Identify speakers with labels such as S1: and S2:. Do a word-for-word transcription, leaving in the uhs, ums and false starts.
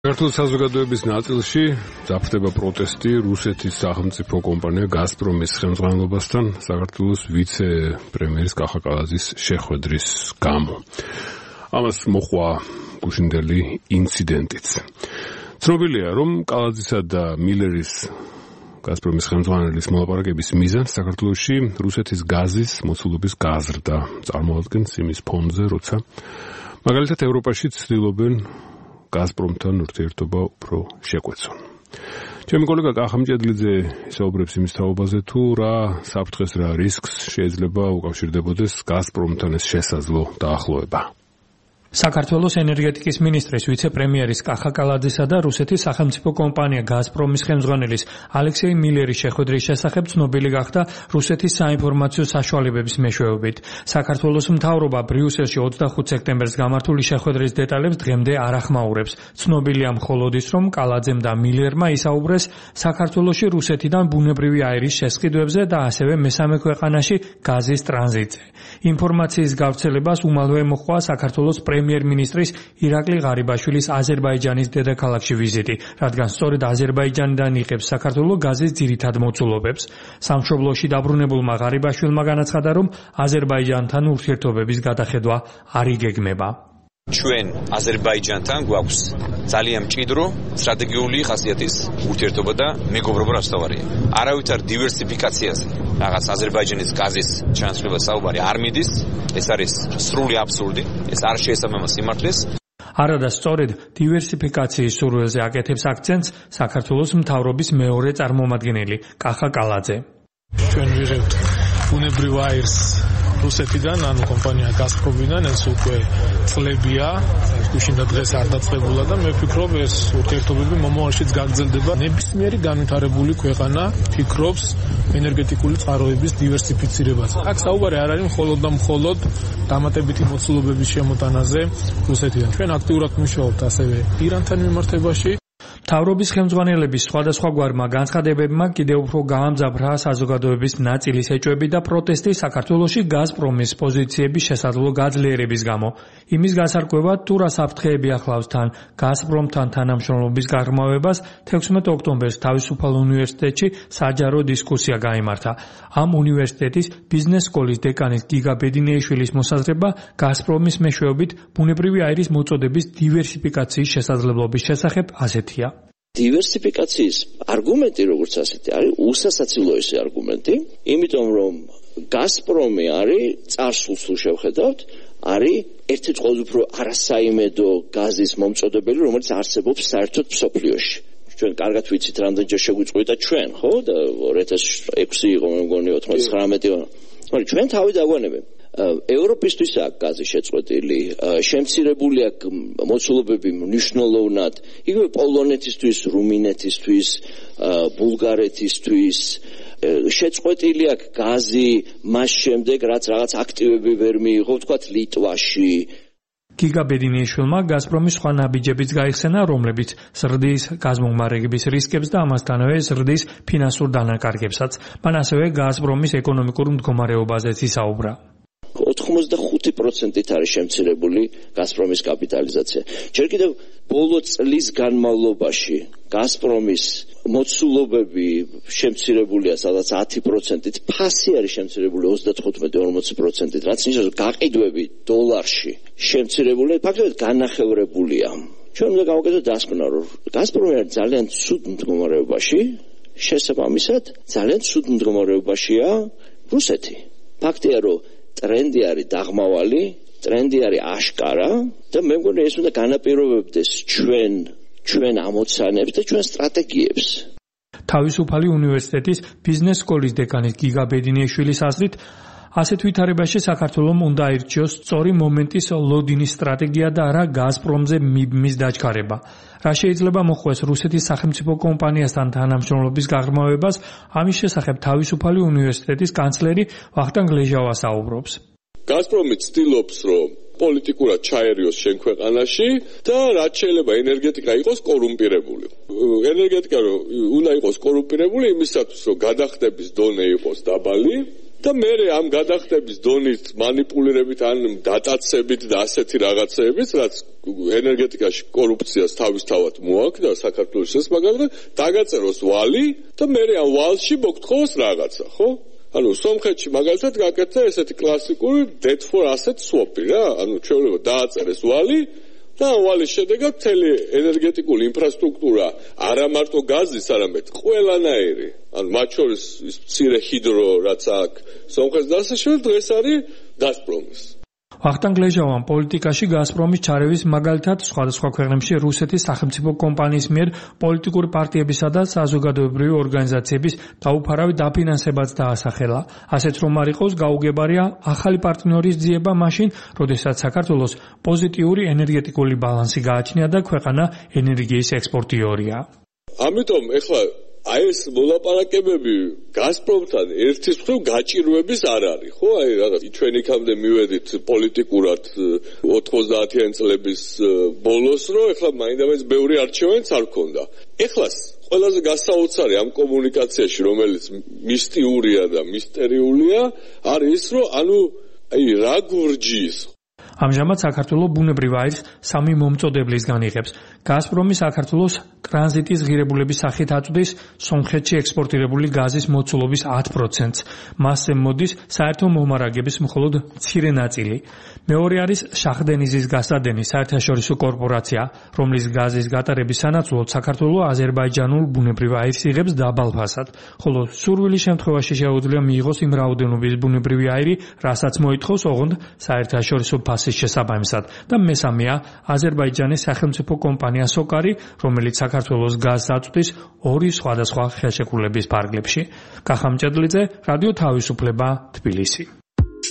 S1: საქართველოს საზოგადოების ნაწილში ძაფრდება პროტესტი რუსეთის სახელმწიფო კომპანია გაზპრომის ხელმძღვანელობასთან საქართველოს ვიცე-პრემიერის კახა კალაძის შეხვედრის გამო. ამას მოყვა გუშინდელი ინციდენტიც. ცნობილია, რომ კალაძისა და მილერის გაზპრომის ხელმძღვანელის მოლაპარაკების მიზანს საქართველოში რუსეთის გაზის მოცულობის გაზრდა წარმოადგენს იმის ფონზე, როცა მაგალითად ევროპაში ცდილობენ გაზპრომთან ურთიერთობა უფრო შეკვეცონ. ჩემი კოლეგა კახა მჭედლიძე საუბრებს იმის თაობაზე, თუ რა საფრთხეს, რა რისკს შეიძლება უკავშირდებოდეს გაზპრომთან ეს შესაძლო დაახლოება.
S2: საქართველოს ენერგეტიკის მინისტრის ვიცე-პრემიერის კახა კალაძისა და რუსეთის სახელმწიფო კომპანია გაზპრომის ხელმძღვანელის ალექსეი მილერის შეხვედრის შესახებ ცნობილი გახდა რუსეთის საინფორმაციო საშუალებების მეშვეობით. საქართველოს მთავრობა ბრიუსელში ოცდახუთ სექტემბერს გამართული შეხვედრის დეტალებს დღემდე არ ახმაურებს. ცნობილია მხოლოდ ის, რომ კალაძემ და მილერმა ისაუბრეს საქართველოში რუსეთიდან ბუნებრივი აირის შესყიდვებზე და ასევე მესამე ქვეყანაში გაზის ტრანზიტზე. ინფორმაციის გავრცელებას უმალვე მოჰყვა საქართველოს პრემიერ-მინისტრის ირაკლი ღარიბაშვილის აზერბაიჯანის დედაქალაქში ვიზიტი, რადგან სწორედ აზერბაიჯანიდან იღებს საქართველო გაზის ძირითად მოცულობებს. სამშობლოში დაბრუნებულმა ღარიბაშვილმა განაცხადა, რომ აზერბაიჯანთან ურთიერთობების გადახედვა არ იგეგმება.
S3: ჩვენ აზერბაიჯანთან გვაქვს ძალიან მჭიდრო სტრატეგიული ხასიათის ურთიერთობა და მეგობრობა რასთავარია. არავითარ დივერსიფიკაციაზე, რაღაც აზერბაიჯანის გაზის ჩანაცვლება საუბარი არ მიდის, ეს არის სრული აბსურდი, ეს არ შეესაბამება სიმართლეს.
S2: არადა სწორედ დივერსიფიკაციის სურვილზე აკეთებს აქცენტს საქართველოს მთავრობის მეორე წარმომადგენელი კახა კალაძე.
S4: ჩვენ ვიღებთ ბუნებრივ აირს რუსეთიდან, ანუ კომპანია გაზპრომიდან, ეს უკვე წლებია, გუშინდა დღეს არ დაწყებულა და მე ვფიქრობ, ეს ურთიერთობები მომავალშიც გაგრძელდება. ნებისმიერი განვითარებული ქვეყანა ფიქრობს ენერგეტიკული წყაროების დივერსიფიცირებაზე. აქ საუბარი არ არის მხოლოდ და მხოლოდ დამატებითი მოცულობების შემოტანაზე რუსეთიდან. ჩვენ აქტიურად მუშაობთ ასევე ირანთან მიმართებაში.
S2: მთავრობის ხელმძღვანელების სხვადასხვაგვარმა განცხადებებმა კიდევ უფრო გაამძაფრა საზოგადოების ნაწილის ეჭვები და პროტესტი საქართველოში გაზპრომის პოზიციების შესაძლო გაძლიერების გამო. იმის გასარკვევად, თუ რა საფრთხეები ახლავს თან გაზპრომთან თანამშრომლობის გაღრმავებას, თექვსმეტ ოქტომბერს თავისუფალ უნივერსიტეტში საჯარო დისკუსია გაიმართა. ამ უნივერსიტეტის ბიზნეს სკოლის დეკანის გიგა ბედინეიშვილის მოსაზრება გაზპრომის მეშვეობით ბუნებრივი აირის მოწოდების დივერსიფიკაციის შესაძლებლობის შესახებ ასეთია.
S5: დივერსიფიკაციის არგუმენტი, როგორც ასეთი, არის უსასაცილოესი არგუმენტი, იმიტომ რომ გაზპრომი არის წარსულს თუ შევხედავთ, არის ერთ-ერთი ყველაზე უფრო არასაიმედო გაზის მომწოდებელი, რომელიც არსებობს საერთოდ მსოფლიოში. ჩვენ კარგად ვიცით, რამდენჯერ შეგვიწყვიტა ჩვენ, ხო? და ორი ათას ექვსი იყო, მე მგონი ოცდათხუთმეტი. მაგრამ ჩვენ თავი დაგვანებებ. ევროპისთვის აქ გაზი შეწყვეტილი, შემცირებული აქ მოცულობები მნიშვნელოვნად, იგივე პოლონეთისთვის, რუმინეთისთვის, ბულგარეთისთვის, შეწყვეტილი აქ გაზი მას შემდეგ, რაც რაღაც აქტივები ვერ მიიღო, ვთქვათ ლიტვაში.
S2: გიგა ბედინეიშვილმა გაზპრომის სხვა ნაბიჯებიც გაიხსენა, რომლებიც ზრდის გაზმომარაგების რისკებს და ამასთანავე ზრდის ფინანსურ დანაკარგებსაც. მან ასევე გაზპრომის ეკონომიკურ მდგომარეობაზეც ისაუბრა.
S5: ოცდახუთი პროცენტით არის შემცირებული გაზპრომის კაპიტალიზაცია. ჯერ კიდევ ბოლო წლის განმავლობაში გაზპრომის მოცულობები შემცირებულია სადაც ათი პროცენტით, ფასი არის შემცირებული ოცდათხუთმეტი ორმოცი პროცენტით, რაც ნიშნავს გაყიდვები დოლარში შემცირებული, ფაქტობრივად განახევრებულია. ჩვენ უნდა გავაკეთოთ დასკვნა, რომ გაზპრომი არის ძალიან ცუდ მდგომარეობაში, შესაბამისად ძალიან ცუდ მდგომარეობაშია რუსეთი. ფაქტია, რომ ტრენდი არის დაღმავალი, ტრენდი არის აშკარა და მე მგონი ეს უნდა განაპირობებდეს ჩვენ ჩვენ ამოცანებს და ჩვენ სტრატეგიებს.
S2: თავისუფალი უნივერსიტეტის ბიზნეს სკოლის დეკანის გიგა ბედინეიშვილის აზრით, ასეთ ვითარებაში საქართველომ უნდა აირჩიოს სწორი მომენტის ლოდინის სტრატეგია და არა გაზპრომზე მიბმის დაჩქარება. რა შეიძლება მოხვდეს რუსეთის სახელმწიფო კომპანიასთან თანამშრომლობის გაღრმავებას, ამის შესახებ თავისუფალი უნივერსიტეტის კანცლერი ვახტანგ ლეჟავა საუბრობს.
S6: გაზპრომი ცდილობს, რომ პოლიტიკურად ჩაერიოს შენ ქვეყანაში და რაც შეიძლება ენერგეტიკა იყოს კორუმპირებული. ენერგეტიკა უნდა იყოს კორუმპირებული იმისათვის, რომ გადახდების დონე იყოს დაბალი და მე ამ გადახდების დონის манипуლირებით ან დატაცებით და ასეთი რაღაცეებით, რაც ენერგეტიკაში კორუფციას თავისთავად მოაქვს და საქართველოს ეს მაგალითად დაგაწეროს ვალი და მე ამ ვალში მოგთხოვოს რაღაცა, ხო? ანუ სომხეთში მაგალითად გაკეთდა ესეთი კლასიკური debt for asset swap-ი რა, ანუ ჩვეულებრივ დააწერეს ვალი და ვალის შედეგად მთელი ენერგეტიკული ინფრასტრუქტურა არა მარტო გაზის, არამედ ყველანაირი, ანუ მათ შორის ის მცირე ჰიდრო რაც აქვს სომხეთს დასაშორებით დღეს არის გაზპრომის.
S2: ვახტანგ ლეჟავამ პოლიტიკაში გაზპრომის ჩარევის მაგალითად სხვადასხვა ქვეყნებში რუსეთის სახელმწიფო კომპანიის მიერ პოლიტიკური პარტიებისა და საზოგადოებრივი ორგანიზაციების დაუფარავი დაფინანსებაც დაასახელა. ასეთ რომ არ იყოს გაუგებარია ახალი პარტნიორის ძიება მაშინ, როდესაც საქართველოს პოზიტიური ენერგეტიკული ბალანსი გააჩნია და ქვეყანა ენერგიის ექსპორტიორია.
S6: ამიტომ ეხლა აი ეს მოლაპარაკებები გაზპრომთან ერთის მხრივ გაჭირვების არ არის, ხო? აი რაღაც ჩვენ იქამდე მივედით პოლიტიკურად ოთხმოცდაათიანი წლების ბოლოს, რომ ეხლა მაინდამაინც ბევრი არჩევანიც არ ქონდა. ეხლა ყველაზე გასაოცარი ამ კომუნიკაციაში, რომელიც მისტიურია და მისტერიულია, არის ის, რომ ანუ აი რა გურჯის
S2: ამჟამად საქართველოს ბუნებრივ აირს სამი მომწოდებლისგან იღებს. გაზპრომი საქართველოს ტრანზიტის ღირებულების სახით აწვდის სომხეთში ექსპორტირებული გაზის მოცულობის ათ პროცენტს. მასზე მოდის საერთო მომარაგების მხოლოდ მცირე ნაწილი. მეორე არის შახდენიზის გასადენი საერთაშორისო კორპორაცია, რომლის გაზის გატარების სანაცვლოდ საქართველოს აზერბაიჯანულ ბუნებრივ აირს იღებს დაბალ ფასად, ხოლო სურვილის შემთხვევაში შეუძლია მიიღოს იმ რაოდენობის ბუნებრივი აირი, რასაც მოითხოვს ოღონდ საერთაშორისო ფასის შესაბამისად და მესამეა აზერბაიჯანის სახელმწიფო კომპანია სოკარი, რომელიც საქართველოს გაზს აწვდის ორი სხვადასხვა ხელშეკრულების ფარგლებში. კახა მჭედლიძე, რადიო თავისუფლება, თბილისი.